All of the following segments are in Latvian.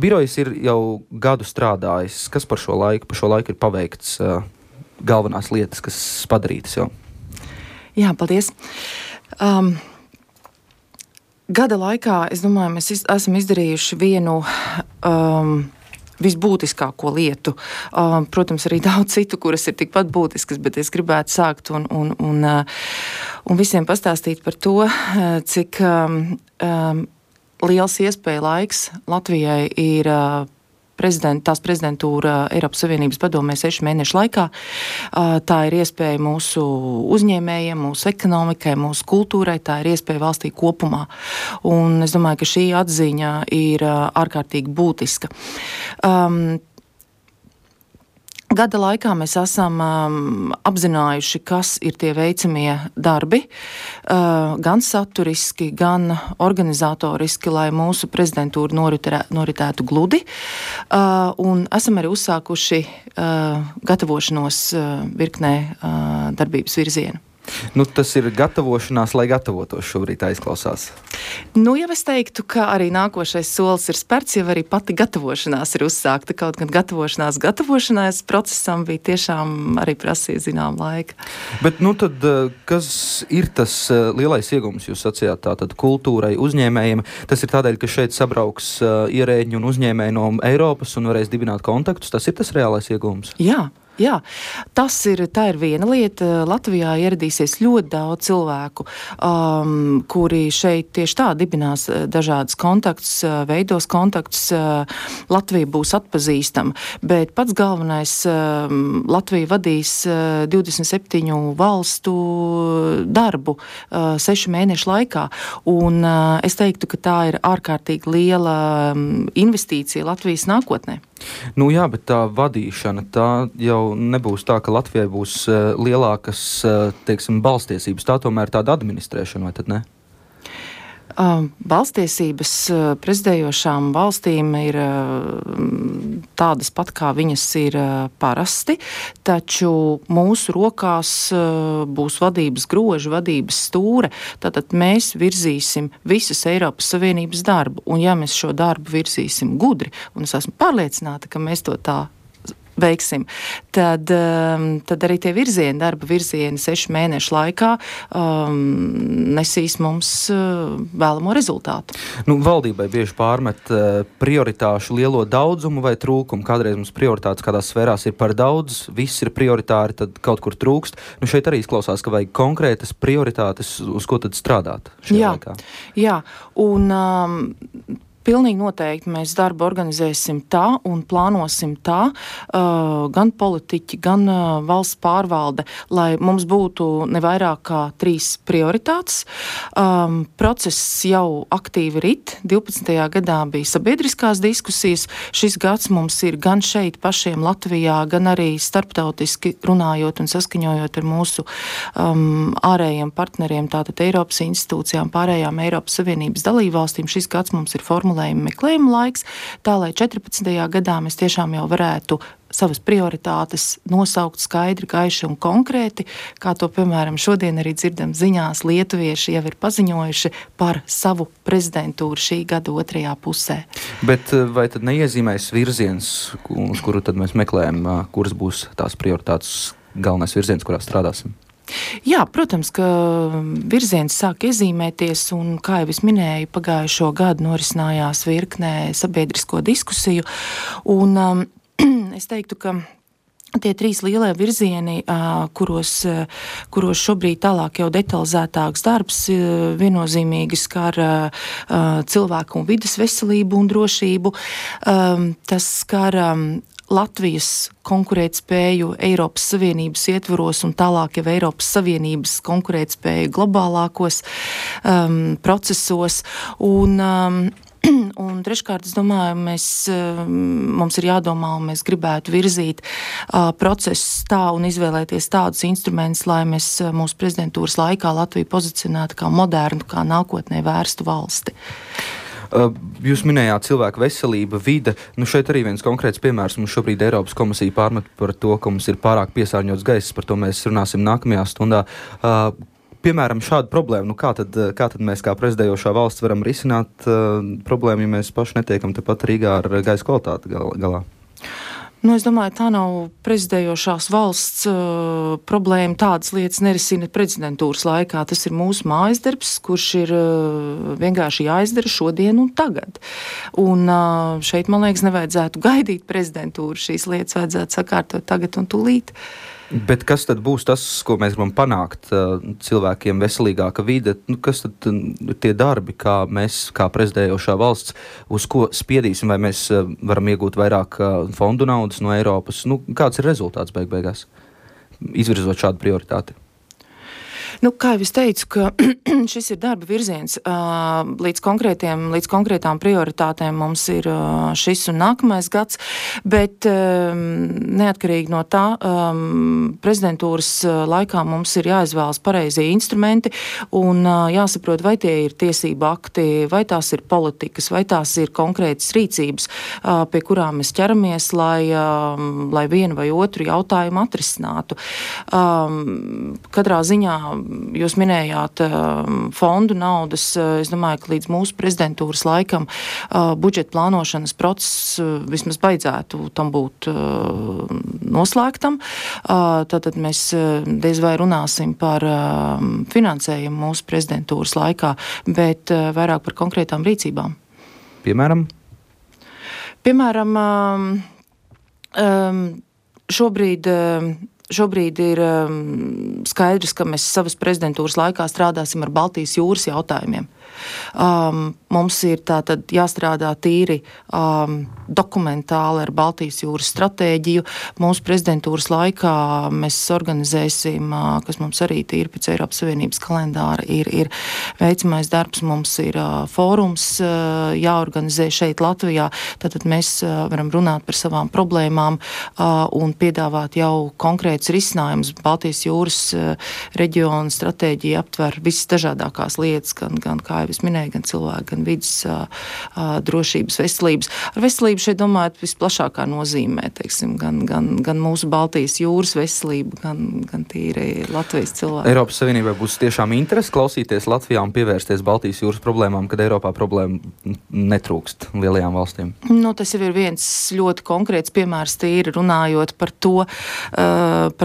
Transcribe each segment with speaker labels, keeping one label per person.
Speaker 1: Birojs ir jau gadu strādājis. Kas par šo laiku ir paveikts, galvenās lietas, kas padarītas jau?
Speaker 2: Jā, paldies. Gada laikā, es domāju, mēs esam izdarījuši vienu visbūtiskāko lietu. Protams, arī daudz citu, kuras ir tikpat būtiskas, bet es gribētu sākt un visiem pastāstīt par to, cik liels iespēja laiks Latvijai ir tās prezidentūra Eiropas Savienības padomē 6 mēnešu laikā. Tā ir iespēja mūsu uzņēmējiem, mūsu ekonomikai, mūsu kultūrai, tā ir iespēja valstī kopumā. Un es domāju, ka šī atziņa ir ārkārtīgi būtiska. Gada laikā mēs esam apzinājuši, kas ir tie veicamie darbi, gan saturiski, gan organizatoriski, lai mūsu prezidentūra noritētu gludi. Un esam arī uzsākuši gatavošanos virknē darbības virzienu.
Speaker 1: Tas ir gatavošanās, lai gatavotos šobrīd aizklausās.
Speaker 2: Jau es teiktu, ka arī nākošais solis ir spērts, jau arī pati gatavošanās ir uzsākta. Kaut gan gatavošanās procesam bija tiešām arī prasīja zinām laika.
Speaker 1: Bet tad, kas ir tas lielais iegums, jūs sacījāt, tātad kultūrai, uzņēmējiem? Tas ir tādēļ, ka šeit sabrauks ierēģi un uzņēmēji no Eiropas un varēs dibināt kontaktus. Tas ir tas reālais iegums?
Speaker 2: Jā, tā ir viena lieta. Latvijā ieradīsies ļoti daudz cilvēku, kuri šeit tieši tā dibinās dažādas kontaktus, veidos kontaktus. Latvija būs atpazīstama, bet pats galvenais Latvija vadīs 27 valstu darbu 6 mēnešu laikā. Un es teiktu, ka tā ir ārkārtīgi liela investīcija Latvijas nākotnē.
Speaker 1: Jā, bet tā vadīšana, tā jau nebūs tā, ka Latvijai būs lielākas, balstiesības. Tā tomēr tāda administrēšana, vai tad ne?
Speaker 2: Balstiesības prezidējošām valstīm ir tādas pat, kā viņas ir parasti, taču mūsu rokās būs vadības groži, vadības stūre. Tātad mēs virzīsim visas Eiropas Savienības darbu, un ja mēs šo darbu virzīsim gudri, un es esmu pārliecināta, ka mēs to tā veiksim, tad arī tie darba virzieni 6 mēnešu laikā nesīs mums vēlamo rezultātu.
Speaker 1: Valdībai bieži pārmet prioritāšu lielo daudzumu vai trūkumu. Kādreiz mums prioritātes kādās sfērās ir par daudz, viss ir prioritāri, tad kaut kur trūkst. Šeit arī izklausās, ka vajag konkrētas prioritātes, uz ko tad strādāt šajā laikā. Jā, un pilnīgi noteikti mēs darbu organizēsim tā un plānosim tā, gan politiķi, gan valsts pārvalde, lai mums būtu ne vairāk kā 3 prioritātes. Process jau aktīvi rit. 12. gadā bija sabiedriskās diskusijas. Šis gads mums ir gan šeit pašiem Latvijā, gan arī starptautiski runājot un saskaņojot ar mūsu ārējiem partneriem, tātad Eiropas institūcijām, pārējām Eiropas Savienības dalībvalstīm. Šis gads mums ir formulējuma meklējuma laiks, tā lai 14. gadā mēs tiešām jau varētu savas prioritātes nosaukt skaidri, gaiši un konkrēti, kā to, piemēram, šodien arī dzirdam ziņās, lietuvieši jau ir paziņojuši par savu prezidentūru šī gada 2. pusē. Bet vai tad neiezīmēs virziens, uz kuru tad mēs meklējam, kuras būs tās prioritātes galvenais virziens, kurā strādāsim?
Speaker 2: Jā, protams, ka virziens sāk iezīmēties, un, kā jau es minēju, pagājušo gadu norisinājās virknē sabiedrisko diskusiju, un es teiktu, ka tie 3 lielie virzieni, kuros šobrīd tālāk jau detalizētāks darbs, viennozīmīgi skar cilvēku un vides veselību un drošību. Tas skar Latvijas konkurētspēju Eiropas Savienības ietvaros un tālāk jau Eiropas Savienības konkurētspēju globālākos procesos. Un treškārt, es domāju, mums ir jādomā, un mēs gribētu virzīt procesus tā un izvēlēties tādus instrumentus, lai mēs mūsu prezidentūras laikā Latviju pozicionētu kā modernu, kā nākotnē vērstu valsti.
Speaker 1: Jūs minējāt cilvēku veselība, vide. Šeit arī viens konkrēts piemērs. Mums šobrīd Eiropas komisija pārmet par to, ka mums ir pārāk piesārņots gaiss. Par to mēs runāsim nākamajā stundā. piemēram, šādu problēmu, kā tad mēs kā prezidējošā valsts varam risināt problēmu, ja mēs paši netiekam tepat Rīgā ar gaisa kvalitāti galā?
Speaker 2: Es domāju, tā nav prezidējošās valsts problēma. Tādas lietas nerisina prezidentūras laikā. Tas ir mūsu mājasdarbs, kurš ir vienkārši jāizdara šodien un tagad. Un šeit, man liekas, nevajadzētu gaidīt prezidentūru. Šīs lietas vajadzētu sakārtot tagad un tūlīt.
Speaker 1: Bet kas tad būs tas, ko mēs gribam panākt cilvēkiem veselīgāka vide? Kas tad ir tie darbi, kā mēs, kā prezidējošā valsts, uz ko spiedīsim, vai mēs varam iegūt vairāk fondu naudas no Eiropas? Kāds ir rezultāts beigās, izvirzot šādu prioritāti?
Speaker 2: Kā jau es teicu, ka šis ir darba virziens. Līdz konkrētām prioritātēm mums ir šis un nākamais gads, bet neatkarīgi no tā, prezidentūras laikā mums ir jāizvēlas pareizie instrumenti un jāsaprot, vai tie ir tiesību akti, vai tās ir politikas, vai tās ir konkrētas rīcības, pie kurām mēs ķeramies, lai vienu vai otru jautājumu atrisinātu. Katrā ziņā jūs minējāt fondu naudas. Es domāju, ka līdz mūsu prezidentūras laikam budžeta plānošanas process vismaz beidzētu tam būt noslēgtam. Tātad mēs diez vai runāsim par finansējumu mūsu prezidentūras laikā, bet vairāk par konkrētām rīcībām.
Speaker 1: Piemēram,
Speaker 2: Šobrīd ir skaidrs, ka mēs savas prezidentūras laikā strādāsim ar Baltijas jūras jautājumiem. Mums ir tātad jāstrādā tīri dokumentāli ar Baltijas jūras stratēģiju. Mūsu prezidentūras laikā mēs organizēsim, kas mums arī tīri pēc Eiropas Savienības kalendāra ir veicamais darbs. Mums ir fórums jāorganizē šeit Latvijā. Tātad mēs varam runāt par savām problēmām un piedāvāt jau konkrētus risinājumus. Baltijas jūras reģiona stratēģija aptver visas dažādākās lietas, gan kā jau es minēju, gan cilvēku, gan vidas drošības, veselības. Ar veselību šeit domājot visplašākā nozīmē, teiksim, gan mūsu Baltijas jūras veselību, gan tīri Latvijas cilvēku.
Speaker 1: Eiropas Savienībai būs tiešām interesi klausīties Latvijā un pievērsties Baltijas jūras problēmām, kad Eiropā problēma netrūkst lielajām valstīm?
Speaker 2: Tas jau ir viens ļoti konkrēts piemērs, tīri runājot par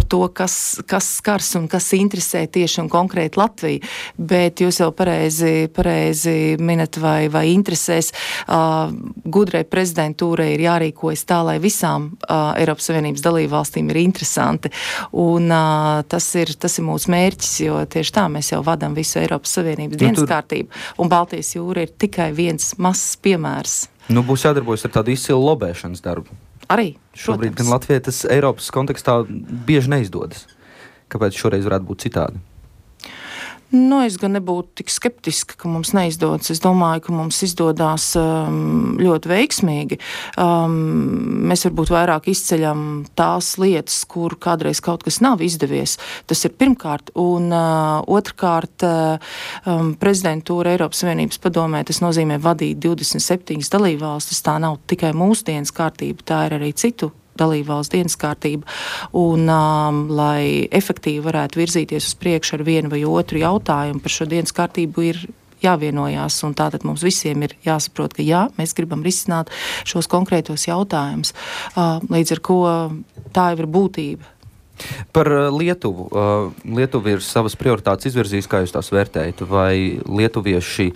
Speaker 2: to, kas skars un kas interesē tieši un konkrēti Latviju. Bet jūs jau pareizi minat vai interesēs. Gudrai prezidentūrai ir jārīkojas tā, lai visām Eiropas Savienības dalībvalstīm ir interesanti. Un tas ir mūsu mērķis, jo tieši tā mēs jau vadam visu Eiropas Savienības dienas kārtību. Un Baltijas jūra ir tikai viens mazs piemērs.
Speaker 1: Būs jādarbojas ar tādu izcilu lobēšanas darbu.
Speaker 2: Arī,
Speaker 1: šobrīd gan Latvijai tas Eiropas kontekstā bieži neizdodas. Kāpēc šoreiz varētu būt citādi?
Speaker 2: Es gan nebūtu tik skeptiska, ka mums neizdodas. Es domāju, ka mums izdodās ļoti veiksmīgi. Mēs varbūt vairāk izceļam tās lietas, kur kādreiz kaut kas nav izdevies. Tas ir pirmkārt. Un otrkārt, prezidentūra Eiropas Savienības padomē, tas nozīmē vadīt 27 dalībvalstis. Tā nav tikai mūsu dienas kārtība, tā ir arī citu dalībvalsts dienas kārtība, un lai efektīvi varētu virzīties uz priekšu ar vienu vai otru jautājumu, par šo dienas kārtību ir jāvienojās, un tātad mums visiem ir jāsaprot, ka jā, mēs gribam risināt šos konkrētos jautājumus, līdz ar ko tā jau ir būtība.
Speaker 1: Par Lietuvu. Lietuva ir savas prioritātes izvirzījis, kā jūs tās vērtējat, vai lietuvieši,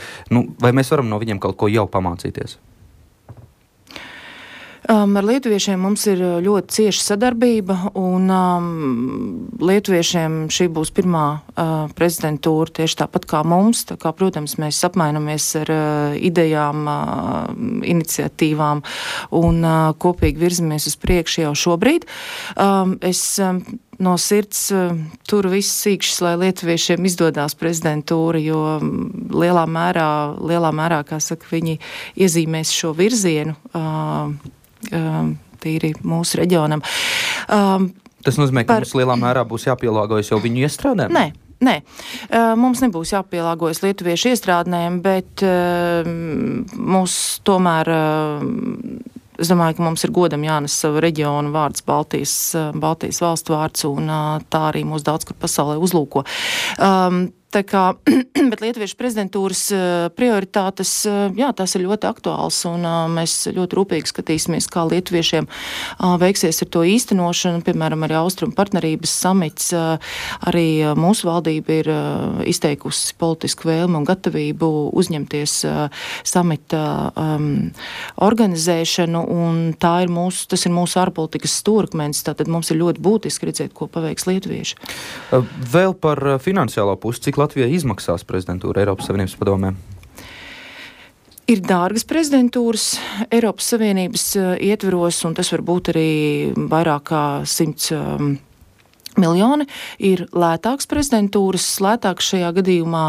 Speaker 1: vai mēs varam no viņiem kaut ko jau pamācīties?
Speaker 2: Ar lietuviešiem mums ir ļoti cieša sadarbība, un lietuviešiem šī būs pirmā prezidentūra tieši tāpat kā mums. Tā kā, protams, mēs apmainamies ar idejām, iniciatīvām un kopīgi virzamies uz priekšu jau šobrīd. Es no sirds turu visus sīkšus, lai lietuviešiem izdodās prezidentūra, jo lielā mērā, kā saka, viņi iezīmēs šo virzienu tīri mūsu reģionam.
Speaker 1: Tas nozīmē, ka mums lielā mērā būs jāpielāgojas jau viņu iestrādēm?
Speaker 2: Nē. Mums nebūs jāpielāgojas lietuviešu iestrādēm, bet mūs tomēr, es domāju, ka mums ir godam jānes savu reģionu vārds, Baltijas valstu vārds, un tā arī mūs daudz kur pasaulē uzlūko. Tā kā, bet Lietuviešu prezidentūras prioritātes, jā, tās ir ļoti aktuāls, un mēs ļoti rūpīgi skatīsimies, kā lietuviešiem veiksies ar to īstenošanu. Piemēram, arī Austrumu partnerības samits, arī mūsu valdība ir izteikusi politisku vēlmi un gatavību uzņemties samita organizēšanu, un tas ir mūsu ārpolitikas stūrakmenis, tātad mums ir ļoti būtiski redzēt, ko paveiks lietuvieši.
Speaker 1: Vēl par finansiālo pusi, cik Latvijai izmaksās prezidentūra Eiropas Savienības padomē?
Speaker 2: Ir dārgas prezidentūras Eiropas Savienības ietveros, un tas var būt arī vairāk kā 100 miljoni. Ir lētāks prezidentūras, lētāks šajā gadījumā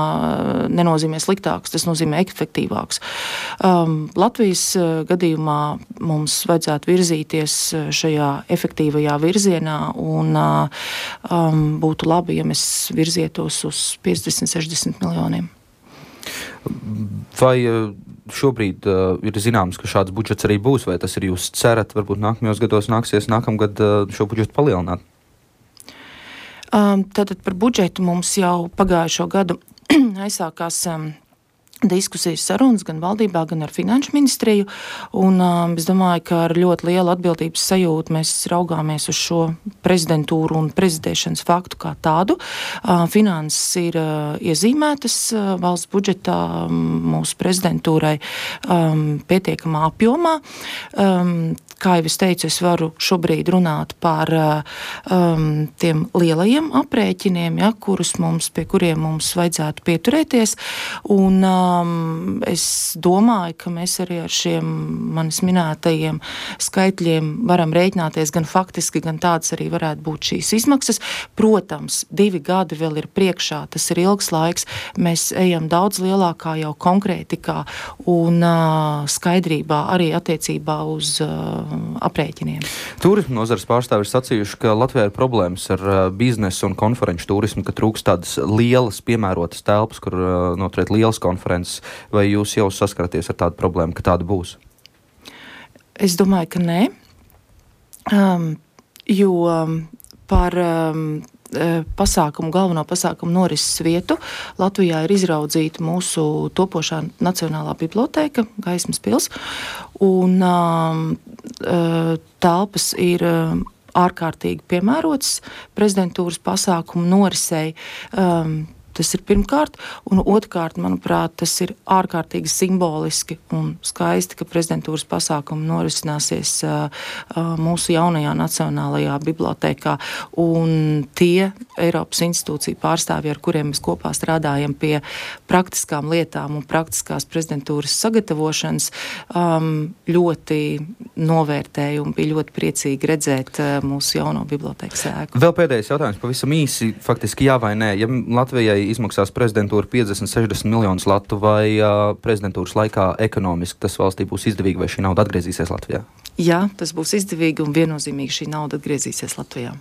Speaker 2: nenozīmē sliktāks, tas nozīmē efektīvāks. Latvijas gadījumā mums vajadzētu virzīties šajā efektīvajā virzienā, un būtu labi, ja mēs virzietos uz 50-60 miljoniem.
Speaker 1: Vai šobrīd ir zināms, ka šāds budžets arī būs, vai tas ir jūs cerat, varbūt nākamajos gados nāksies nākamgad šo budžetu palielināt?
Speaker 2: Tātad par budžetu mums jau pagājušo gadu aizsākās diskusijas sarunas gan valdībā, gan ar Finanšu ministriju, un es domāju, ka ar ļoti lielu atbildības sajūtu mēs raugāmies uz šo prezidentūru un prezidēšanas faktu kā tādu. Finanses ir iezīmētas valsts budžetā mūsu prezidentūrai pietiekamā apjomā. Kā jau es teicu, es varu šobrīd runāt par tiem lielajiem aprēķiniem, ja, pie kuriem mums vajadzētu pieturēties, un es domāju, ka mēs arī ar šiem manis minētajiem skaitļiem varam rēķināties gan faktiski, gan tāds arī varētu būt šīs izmaksas. Protams, 2 gadi vēl ir priekšā, tas ir ilgs laiks, mēs ejam daudz lielākā jau konkrētikā un skaidrībā arī attiecībā uz aprēķiniem.
Speaker 1: Turismu nozares pārstāvi ir sacījuši, ka Latvijā ir problēmas ar biznesu un konferenču turismu, ka trūkst tādas lielas piemērotas telpas, kur noturēt lielas konferences. Vai jūs jau saskaraties ar tādu problēmu, ka tāda būs?
Speaker 2: Es domāju, ka nē, jo par galveno pasākumu norises vietu Latvijā ir izraudzīta mūsu topošā Nacionālā bibliotēka, Gaismas pils, un telpas ir ārkārtīgi piemērotas prezidentūras pasākumu norisei. Tas ir pirmkārt, un otrkārt, manuprāt, tas ir ārkārtīgi simboliski un skaisti, ka prezidentūras pasākumi norisināsies mūsu jaunajā Nacionālajā bibliotēkā, un tie Eiropas institūciju pārstāvji, ar kuriem mēs kopā strādājam pie praktiskām lietām un praktiskās prezidentūras sagatavošanas, ļoti novērtēja un bija ļoti priecīgi redzēt mūsu jauno bibliotēkas ēku.
Speaker 1: Vēl pēdējais jautājums, pavisam īsi, faktiski jā vai nē. Ja Latvijai izmaksās prezidentūra 50-60 miljonus latu, vai prezidentūras laikā ekonomiski tas valstī būs izdevīgi, vai šī nauda atgriezīsies Latvijā?
Speaker 2: Jā, tas būs izdevīgi un viennozīmīgi šī nauda atgriezīsies Latvijā.